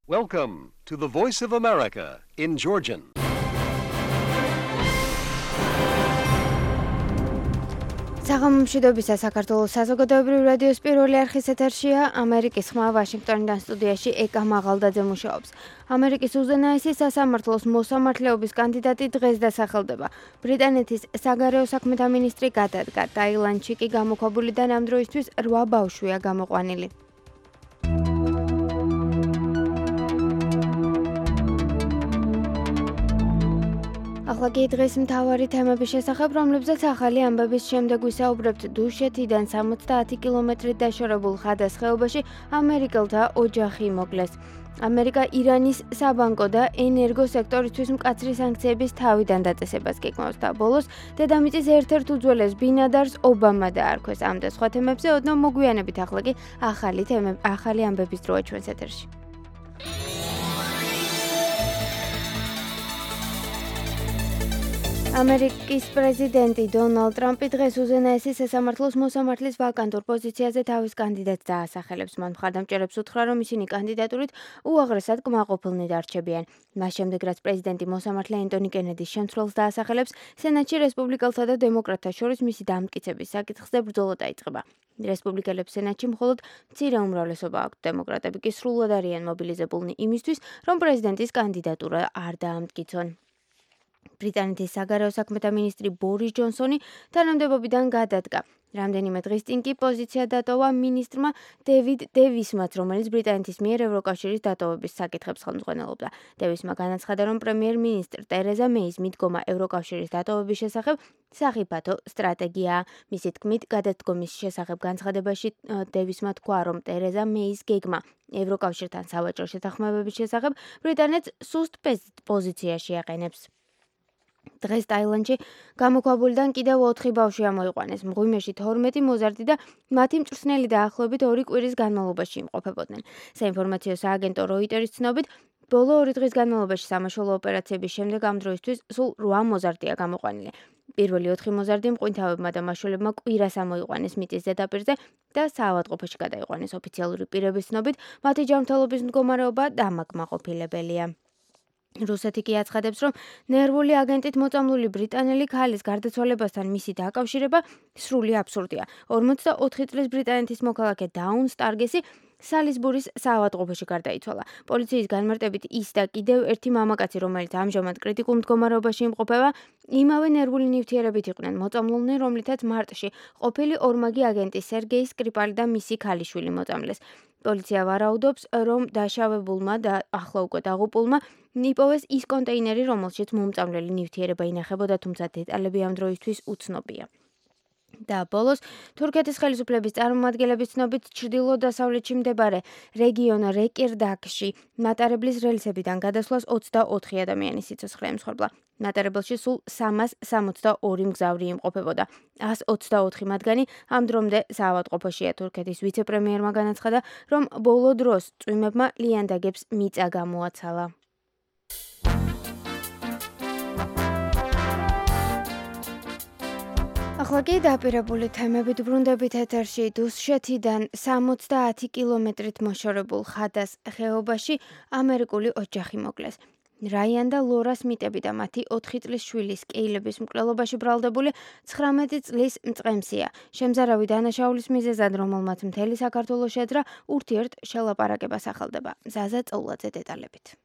Welcome to the Voice of America in Georgian. საღამომშვიდობისა საქართველოს საზოგადოებრივი რადიოს პირველი არხის ეთერშია ამერიკის ხმა ვაშინგტონიდან სტუდიაში ეკა მაღალდაძე მუშაობს. ამერიკის უზენაესი სასამართლოს მოსამართლეობის კანდიდატი დღეს დასახელდება. ბრიტანეთის საგარეო საქმეთა მინისტრი გადადგა. ტაილანდში კი გამოქვაბულიდან ამ დროისთვის 8 ბავშვია გამოყვანილი. ახლა კი დღეს მთავარი თემების შესახებ, რომლებზეც ახალი ამბების შემდეგ ვისაუბრებთ. დუშეთიდან 70 კილომეტრით დაშორებულ ხადას ხეობაში ამერიკელთა ოჯახი მოკლეს. ამერიკა ირანის საბანკო და ენერგო სექტორისთვის მკაცრი სანქციების თავიდან დაწესებას გეკმავს და ბოლოს დედამიწის ერთ-ერთ უძველეს ბინადარს ობამა დაარქვეს. ამ და სხვა თემებზე ოდნავ მოგვიანებით. ახლა კი ახალი ამბების დროა ჩვენს ეთერში. ამერიკის პრეზიდენტი დონალდ ტრამპი დღეს უზენაესი სასამართლოს მოსამართლის ვაკანტურ პოზიციაზე თავის კანდიდატს დაასახელებს. მან მხარდამჭერებს უთხრა, რომ ისინი კანდიდატურით უაღრესად კმაყოფილნი დარჩებიან. მას შემდეგ, რაც პრეზიდენტი მოსამართლე ენტონი კენედის შემცვლელს დაასახელებს, სენატში რესპუბლიკელთა და დემოკრატთა შორის მისი დამტკიცების საკითხზე ბრძოლა დაიწყება. რესპუბლიკელებს სენატში მხოლოდ მცირე უმრავლესობა აქვთ, დემოკრატები კი სრულად არიან მობილიზებულნი იმისთვის, რომ პრეზიდენტის კანდიდატურა არ დაამტკიცონ. ბრიტანეთის საგარეო საქმეთა მინისტრი ბორის ჯონსონი თანამდებობიდან გადადგა. რამდენიმე დღის წინ კი პოზიცია დატოვა მინისტრმა დევიდ დევისმაც, რომელიც ბრიტანეთის მიერ ევროკავშირის დატოვების საკითხებს ხელმძღვანელობდა. დევისმა განაცხადა, რომ პრემიერ-მინისტრ ტერეზა მეის მიდგომა ევროკავშირის დატოვების შესახებ სახიფათო სტრატეგიაა. მისი თქმით, გადადგომის შესახებ განცხადებაში დევისმა თქვა, რომ ტერეზა მეის გეგმა ევროკავშირთან სავაჭრო შეთანხმებების შესახებ ბრიტანეთს სუსტ პოზიციაში აყენებს. დღეს ტაილანდში გამოქვაბულიდან კიდევ 4 ბავშვი ამოიყვანეს. მღვიმეში 12 მოზარდი და მათი მწვრთნელი დაახლოებით 2 კვირის განმავლობაში იმყოფებოდნენ. საინფორმაციო სააგენტო როიტერის ცნობით, ბოლო 2 დღის განმავლობაში სამაშველო ოპერაციების შემდეგ ამ დროისთვის სულ 8 მოზარდია გამოყვანილი. პირველი 4 მოზარდი მყინთავებმა და მაშველებმა კვირას ამოიყვანეს მიწის ზედაპირზე და საავადმყოფოში გადაიყვანეს. ოფიციალური პირების ცნობით, მათი ჯანმრთელობის მდგომარეობა დამაკმაყოფილებელია. რუსეთი კი აცხადებს, რომ ნერვული აგენტით მოწამლული ბრიტანელი ქალის გარდაცვალებასთან მისი დაკავშირება სრული აბსურდია. 44 წლის ბრიტანეთის მოქალაქე დაუნ სტარგესი სალისბურის საავადმყოფოში გარდაიცვალა. პოლიციის განმარტებით ის და კიდევ ერთი მამაკაცი, რომელიც ამჟამად კრიტიკულ მდგომარეობაში იმყოფება, იმავე ნერვული ნივთიერებით იყვნენ მოწამლულნი, რომლითაც მარტში ყოფილი ორმაგი აგენტი სერგეი სკრიპალი და მისი ქალიშვილი მოწამლეს. პოლიცია ვარაუდობს, რომ დაშავებულმა და ახლა უკვე დაღუპულმა იპოვეს ის კონტეინერი, რომელშიც მომწამლელი ნივთიერება ინახებოდა, თუმცა დეტალები ამ დროისთვის უცნობია. და ბოლოს, თურქეთის ხელისუფლების წარმომადგენლების ცნობით, ჩრდილო-დასავლეთში მდებარე რეგიონ რეკირდაკში მატარებლის რელსებიდან გადასვლას 24 ადამიანის სიცოცხლე ემსხვერპლა. მატარებელში სულ 362 მგზავრი იმყოფებოდა. 124 მათგანი ამ დრომდე საავადმყოფოშია. თურქეთის ვიცე-პრემიერმა განაცხადა, რომ ბოლო დროს წვიმებმა ლიანდაგებს მიწა გამოაცალა. ახლა კი დაპირებული თემებით ბრუნდებით ეთერში. დუშეთიდან 70 კილომეტრით მოშორებულ ხადას ხეობაში ამერიკული ოჯახი მოკლეს. რაიან და ლორა სმიტები და მათი 4 წლის შვილის კეილების მკვლელობაში ბრალდებული 19 წლის მწყემსია. შემზარავი დანაშაულის მიზეზად, რომელმაც მთელი საქართველოს შეძრა, ურთიერთ შელაპარაკებას ახალდება. ზაზა წოვლაძე დეტალებით.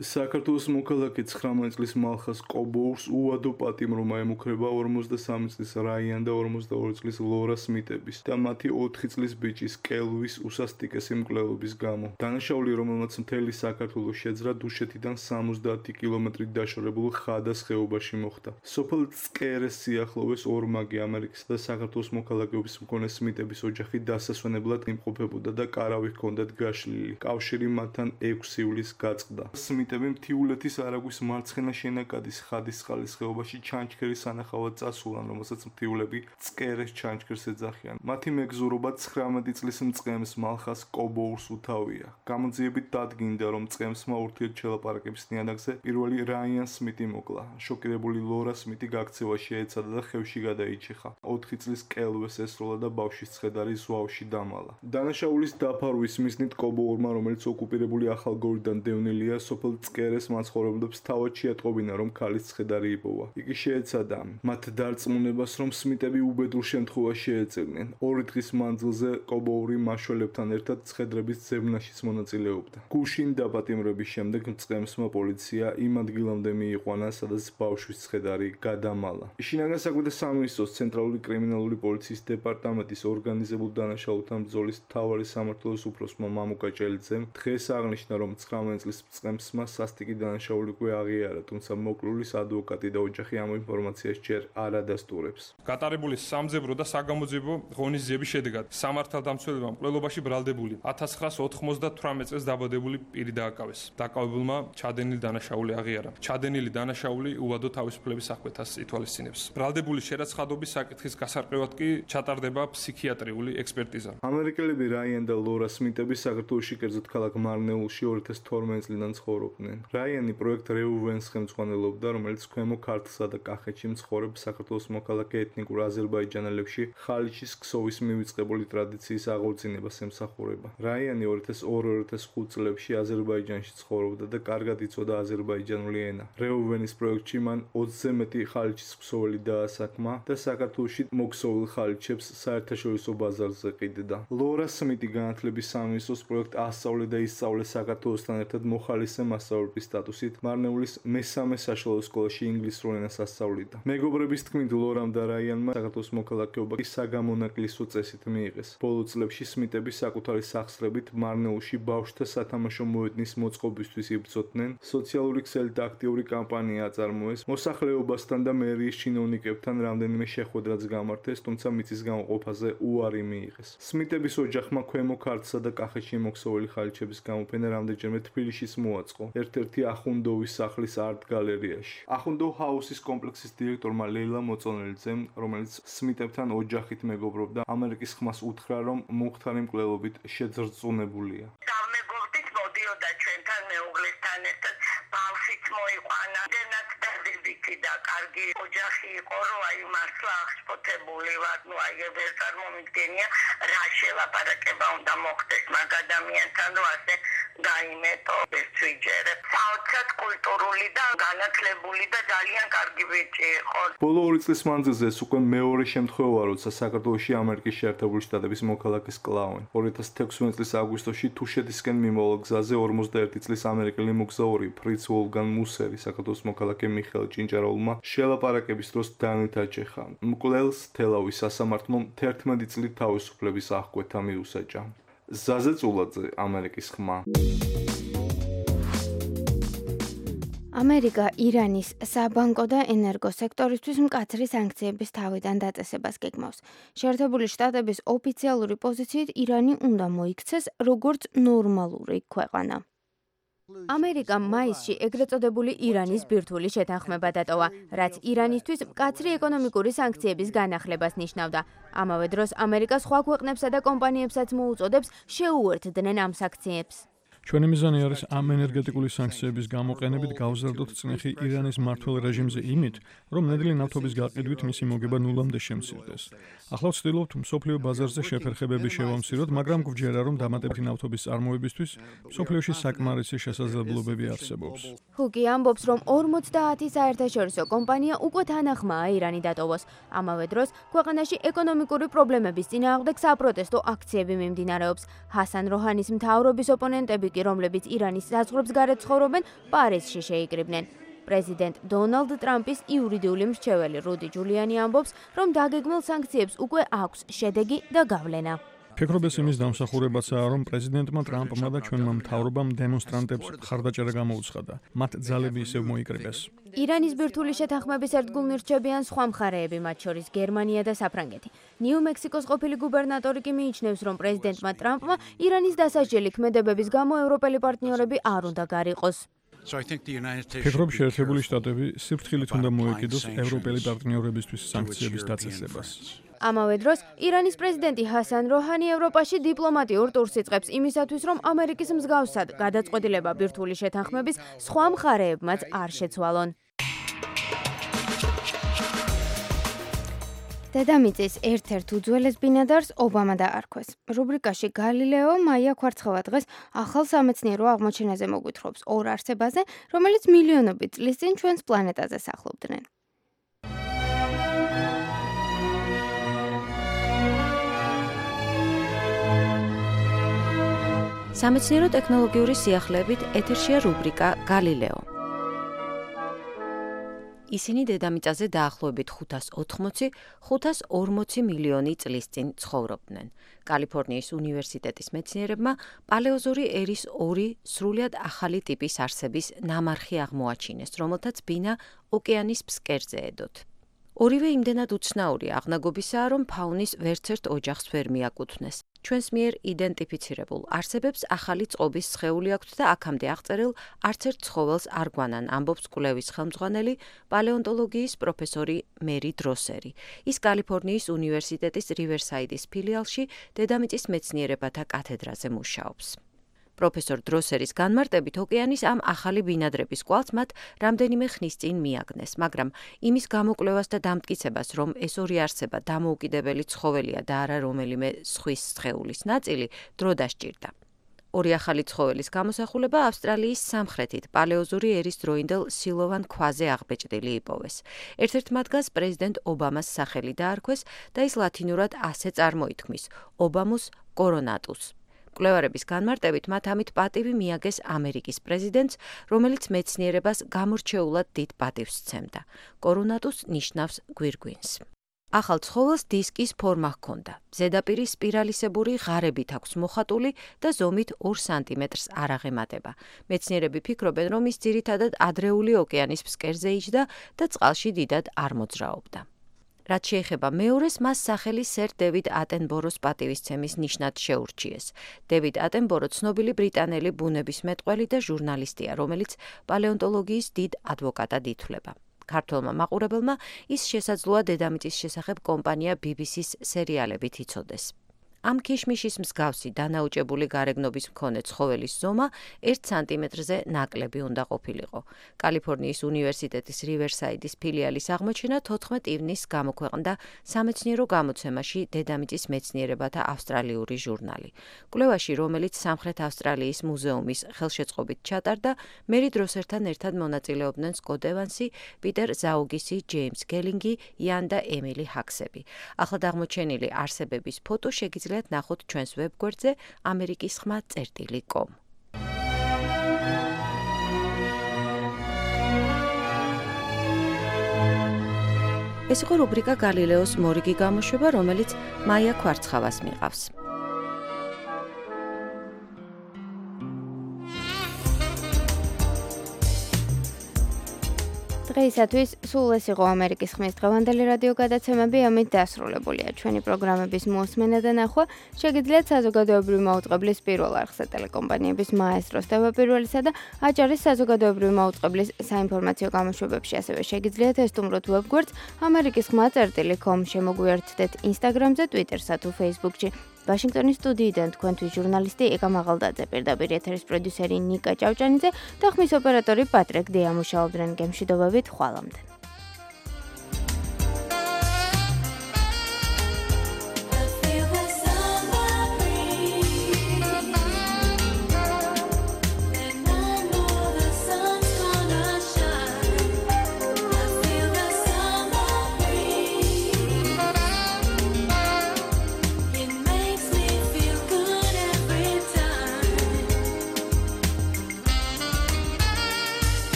საქართველოს მოქალაქე 19 წლის მალხას კობოურს უადო პატიმრობა ემუქრება 43 წლის რაიან და 42 წლის ლორა სმიტების და მათი 4 წლის ბიჭის კელვის უსასტიკესი მკვლელობის გამო. დანაშაული, რომელმაც მთელი საქართველოს შეძრა, დუშეთიდან 70 კილომეტრით დაშორებულ ხადას ხეობაში მოხდა. სოფელ წკერეს სიახლოვეს ორმაგი ამერიკის და საქართველოს მოქალაქეობის მქონე სმიტების ოჯახი დასასვენებლად იმყოფებოდა და კარავი ჰქონდათ გაშლილი. კავშირი მათთან 6 ივლისს გაწყდა. სმიტები მთიულეთის არაგვის მარცხენა შენაკადის ხადისწყლის ხეობაში ჩანჩქერის სანახავად წასულან, რომელსაც მთიულები წკერეს ჩანჩქერს ეძახიან. მათი მეგზურობა 19 წლის მწყემს მალხას კობოურს უთავია. გამოძიებით დადგინდა, რომ მწყემსმა ურთიერთ შელაპარაკების ნიადაგზე პირველი რაიან სმიტი მოკლა. შოკირებული ლორა სმიტი გაქცევაში ეცადა და ხევში გადაიჭიხა. 4 წლის კელვეს ესროლა და ბავშვის ცხედარი ზვავში დამალა. დანაშაულის დაფარვის მიზნით კობოურმა, რომელიც ოკუპირებული ახალგორიდან დევნილია, სოფელ წკერეს მაცხოვრებლებს თავად შეატყობინა, რომ ქალის ცხედარი იპოვა. იგი შეეცადა მათ დარწმუნებას, რომ სმიტები უბედურ შემთხვევაში შეეწევნენ. 2 დღის მანძილზე კობოური მაშველებთან ერთად ცხედრების ძებნაშიც მონაწილეობდა. გუშინ დაპატიმრების შემდეგ მწყემსმა პოლიცია იმ ადგილამდე მიიყვანა, სადაც ბავშვის ცხედარი გადამალა. შინაგან საქმეთა სამინისტროს ცენტრალური კრიმინალური პოლიციის დეპარტამენტის ორგანიზებულ დანაშაულთა ბრძოლის მთავარი სამმართველოს უფროსმა მამუკა ჭელიძემ დღეს აღნიშნა, რომ 19 წლის მწყემსმა სასტიკი დანაშაული უკვე აღიარა, თუმცა მოკლულის ადვოკატი და ოჯახი ამ ინფორმაციას ჯერ არ ადასტურებს. გატარებული სამძებრო და საგამოძიებო ღონისძიების შედეგად სამართალდამცველებმა მკვლელობაში ბრალდებული 1998 წელს დაბადებული პირი დააკავეს. დაკავებულმა ჩადენილი დანაშაული აღიარა. ჩადენილი დანაშაული უვადო თავისუფლების აღკვეთას ითვალისწინებს. ბრალდებული შერაცხადობის საკითხის გასარკვევად კი ჩატარდება ფსიქიატრიული ექსპერტიზა. ამერიკელები რაიან და ლორა სმიტები საქართველოში, კერძოდ ქალაქ მარნეულში 2012 წლიდან ცხოვრობდნენ. რაიანი პროექტ რეუვენს ხელმძღვანელობდა, რომელიც ქვემო ქართლსა და კახეთში მცხოვრებ საქართველოს მოქალაქე ეთნიკურ აზერბაიჯანელებში ხალიჩის ქსოვის მივიწყებული ტრადიციის აღორძინებას ემსახურება. რაიანი 2002-2005 წლებში აზერბაიჯანში ცხოვრობდა და კარგად იცოდა აზერბაიჯანული ენა. რეუვენის პროექტში მან 20-ზე მეტი ხალიჩის ქსოველი დაასაქმა და საქართველოში მოქსოვილ ხალიჩებს საერთაშორისო ბაზარზე ყიდდა. ლორა სმიტი განათლების სამინისტროს პროექტ ასწავლე და ისწავლე საქართველოსთან ერთად მოხალისე მასწავლებლის სტატუსით მარნეულის მესამე საშუალო სკოლაში ინგლისურ ენას ასწავლიდა. მეგობრების თქმით, ლორამ და რაიანმა საქართველოს მოქალაქეობა საგამონაკლისო წესით მიიღეს. ბოლო წლებში სმიტები საკუთარი სახსრებით მარნეულში ბავშვთა სათამაშო მოედნის მოწყობისთვის იბრძოდნენ. სოციალური ქსელით აქტიური კამპანია აწარმოეს. მოსახლეობასთან და მერიის ჩინოვნიკებთან რამდენიმე შეხვედრაც გამართეს, თუმცა მიწის გამოყოფაზე უარი მიიღეს. სმიტების ოჯახმა ქვემო ქართლსა და კახეთში მოქსოვილი ხალიჩების გამოფენა რამდენჯერმე თბილისშიც მოაწყო, ერთ-ერთი ახუნდოვის სახლის არტ გალერეაში. ახუნდო ჰაუსის კომპლექსის დირექტორმა ლეილა მოწონელიძემ, რომელიც სმიტებთან ოჯახით მეგობრობდა, ამერიკის ხმას უთხრა, რომ მომხდარი მკვლელობით შეძრწუნებულია. მეგობრით მოდიოდა ჩვენთან მეუღლესთან ერთად, ბავშვიც მოიყვანა, დენაც დადებითი და კარგი ოჯახი იყო, რომ აი მართლა აღშფოთებული ვარ, ნუ აი ვერ წარმომიდგენია რა შელაპარაკება უნდა მოხდეს მაგ ადამიანთან, რომ ასე გაიმეტო ეს ვიჯერე. საოცრად კულტურული და განათლებული და ძალიან კარგი ბიჭი იყო. ბოლო 2 წლის მანძილზე ეს უკვე მეორე შემთხვევაა, როცა საქართველოში ამერიკის შეერთებული შტატების მოქალაქეს კლავენ. 2016 წლის აგვისტოში თუშეთისკენ მიმავალ გზაზე 51 წლის ამერიკელი მოგზაური ფრიც ვოლგან მუსერი საქართველოს მოქალაქე მიხეილ ჭინჭარულმა შელაპარაკების დროს დანით აჭეხა. მკვლელს თელავის სასამართლომ 11 წლით თავისუფლების აღკვეთა მიუსაჯა. ზაზე წულაძე, ამერიკის ხმა. ამერიკა ირანის საბანკო და ენერგო სექტორისთვის მკაცრი სანქციების თავიდან დაწესებას გეგმავს. შეერთებული შტატების ოფიციალური პოზიციით ირანი უნდა მოიქცეს როგორც ნორმალური ქვეყანა. ამერიკამ მაისში ეგრეთ წოდებული ირანის ბირთვული შეთანხმება დატოვა, რაც ირანისთვის მკაცრი ეკონომიკური სანქციების განახლებას ნიშნავდა. ამავე დროს ამერიკა სხვა ქვეყნებსა და კომპანიებსაც მოუწოდებს შეუერთდნენ ამ სანქციებს. ჩვენი მიზანი არის ამ ენერგეტიკული სანქციების გამოყენებით გავზარდოთ წნეხი ირანის მმართველ რეჟიმზე იმით, რომ ნედლი ნავთობის გაყიდვით მისი მოგება ნულამდე შემცირდეს. ახლა ვცდილობთ მსოფლიო ბაზარზე შეფერხებები შევამციროთ, მაგრამ გვჯერა, რომ დამატებითი ნავთობის წარმოებისთვის მსოფლიოში საკმარისი შესაძლებლობები არსებობს. ჰუკი ამბობს, რომ 50 საერთაშორისო კომპანია უკვე თანახმაა ირანი დატოვოს. ამავე დროს ქვეყანაში ეკონომიკური პრობლემების წინააღმდეგ საპროტესტო აქციები მიმდინარეობს. ჰასან როჰანის მთავრობის ოპონენტები კი, რომლებიც ირანის საზღვრებს გარეთ ცხოვრობენ, პარიზში შეიკრიბნენ. პრეზიდენტ დონალდ ტრამპის იურიდიული მრჩეველი რუდი ჯულიანი ამბობს, რომ დაგეგმილ სანქციებს უკვე აქვს შედეგი და გავლენა. ფიქრობ ეს იმის დამსახურებაცაა, რომ პრეზიდენტმა ტრამპმა და ჩვენმა მთავრობამ დემონსტრანტებს მხარდაჭერა გამოუცხადა. მათ ძალები ისევ მოიკრიბეს. ირანის ბირთვული შეთანხმების ერთგულნი რჩებიან სხვა მხარეები, მათ შორის გერმანია და საფრანგეთი. ნიუ-მექსიკოს ყოფილი გუბერნატორი კი მიიჩნევს, რომ პრეზიდენტმა ტრამპმა ირანის დასაჯელი ქმედებების გამო ევროპელი პარტნიორები არ უნდა გარიყოს. ფიქრობ, შეერთებული შტატები სიფრთხილით უნდა მოეკიდოს ევროპელი პარტნიორებისთვის სანქციების დაწესებას. ამავე დროს, ირანის პრეზიდენტი ჰასან როჰანი ევროპაში დიპლომატიურ ტურს იწყებს იმისათვის, რომ ამერიკის მსგავსად გადაწყვეტილება ბირთვული შეთანხმების სხვა მხარეებმაც არ შეცვალონ. დედამიწის ერთ-ერთ უძველეს ბინადარს ობამა დაარქვეს. რუბრიკაში გალილეო მაია ქვარცხევა დღეს ახალ სამეცნიერო აღმოჩენაზე მოგვითხრობს ორ არსებაზე, რომელიც მილიონობით წლის წინ ჩვენს პლანეტაზე სახლობდნენ. სამეცნიერო ტექნოლოგიური სიახლეებით ეთერშია რუბრიკა გალილეო. ისინი დედამიწაზე დაახლოებით 540 მილიონი წლის წინ ცხოვრობდნენ. კალიფორნიის უნივერსიტეტის მეცნიერებმა პალეოზოური ერის ორი სრულიად ახალი ტიპის არსების ნამარხი აღმოაჩინეს, რომელთაც ბინა ოკეანის ფსკერზეედოთ. ორივე იმდენად უცნაური აღნაგობისაა, რომ ფაუნის ვერცერთ ოჯახს ვერ მიაკუთვნეს. ჩვენს მიერ იდენტიფიცირებულ არსებებს ახალი წყობის სხეული აქვთ და აქამდე აღწერილ არც ერთ ცხოველს არ გვანან, ამბობს კვლევის ხელმძღვანელი პალეონტოლოგიის პროფესორი მერი დროსერი. ის კალიფორნიის უნივერსიტეტის რივერსაიდის ფილიალში დედამიწის მეცნიერებათა კათედრაზე მუშაობს. პროფესორ დროსერის განმარტებით ოკეანის ამ ახალი ბინადრების კვალს მათ რამდენიმე ხნის წინ მიაგნეს, მაგრამ იმის გამოკვლევას და დამტკიცებას, რომ ეს ორი არსება დამოუკიდებელი ცხოველია და არა რომელიმე ზღვის სხეულის ნაწილი, დრო დასჭირდა. ორი ახალი ცხოველის გამოსახულება ავსტრალიის სამხრეთით პალეოზოური ერის დროინდელ სილოვან ქვაზე აღბეჭდილი იპოვეს. ერთ-ერთ მათგანს პრეზიდენტ ობამას სახელი დაარქვეს და ის ლათინურად ასე წარმოითქმის: ობამუს კორონატუს. კვლევარების განმარტებით მათ ამით პატივი მიაგეს ამერიკის პრეზიდენტს, რომელიც მეცნიერებას გამორჩეულად დიდ პატივს სცემდა. კორონატუს ნიშნავს გვირგვინს. ახალ ცხოველს დისკის ფორმა ჰქონდა. ზედაპირი სპირალისებური ღარებით აქვს მოხატული და ზომით 2 სანტიმეტრს არ აღემატება. მეცნიერები ფიქრობენ, რომ ის ძირითადად ადრეული ოკეანის ფსკერზე იჯდა და წყალში დიდად არ მოძრაობდა. რაც შეეხება მეორეს, მას სახელი სერ დევიდ ატენბოროს პატივისცემის ნიშნად შეურჩიეს. დევიდ ატენბორო ცნობილი ბრიტანელი ბუნებისმეტყველი და ჟურნალისტია, რომელიც პალეონტოლოგიის დიდ ადვოკატად ითვლება. ქართველმა მაყურებელმა ის შესაძლოა დედამიწის შესახებ კომპანია BBC-ს სერიალებით იცოდეს. ამ ქიშმიშის მსგავსი დანაუჭებული გარეგნობის მქონე ცხოველის ზომა 1 სანტიმეტრზე ნაკლები უნდა ყოფილიყო. კალიფორნიის უნივერსიტეტის რივერსაიდის ფილიალის აღმოჩენა 14 ივნისს გამოქვეყნდა სამეცნიერო გამოცემაში დედამიწის მეცნიერებათა ავსტრალიური ჟურნალი. კვლევაში, რომელიც სამხრეთ ავსტრალიის მუზეუმის ხელშეწყობით ჩატარდა, მერი დროსერთან ერთად მონაწილეობდნენ სკოტ ევანსი, პიტერ ზაუგისი, ჯეიმს გელინგი, იან და ემილი ჰაქსები. ახლად აღმოჩენილი არსებების ფოტო შეგიძლიათ ნახოთ ჩვენს ვებგვერდზე amerikisxma.com. ეს იყო რუბრიკა გალილეოს მორიგი გამოშვება, რომელიც მაია ქვარცხავას მიყავს. დღეისათვის სულ ეს იყო ამერიკის ხმის დღევანდელი რადიო გადაცემები, ამით დასრულებულია ჩვენი პროგრამების მოსმენა და ნახვა. შეგიძლიათ საზოგადოებრივი მაუწყებლის პირველ არხზე ტელეკომპანიების მაესტროს თავდაპირველისა და აჭარის საზოგადოებრივი მაუწყებლის საინფორმაციო გამოშვებებში, ასევე შეგიძლიათ ესტუმროთ ვებგვერდს amerikisxma.com, შემოგვიერთდეთ ინსტაგრამზე, ტვიტერსა თუ ფეისბუქში. ვაშინგტონის სტუდიიდან თქვენთვის ჟურნალისტი ეკა მაღალდაძე, პირდაპირ ეთერის პროდიუსერი ნიკა ჭავჭანიძე და ხმის ოპერატორი პატრიკ დეა მუშაობდნენ გემშვიდობებით ხვალამდე.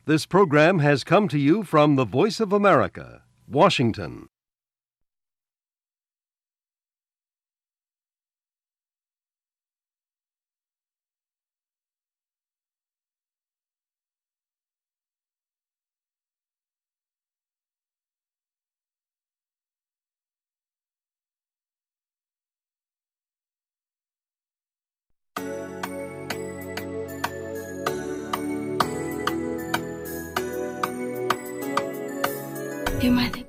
This program has come to you from the Voice of America, Washington. დიმადე.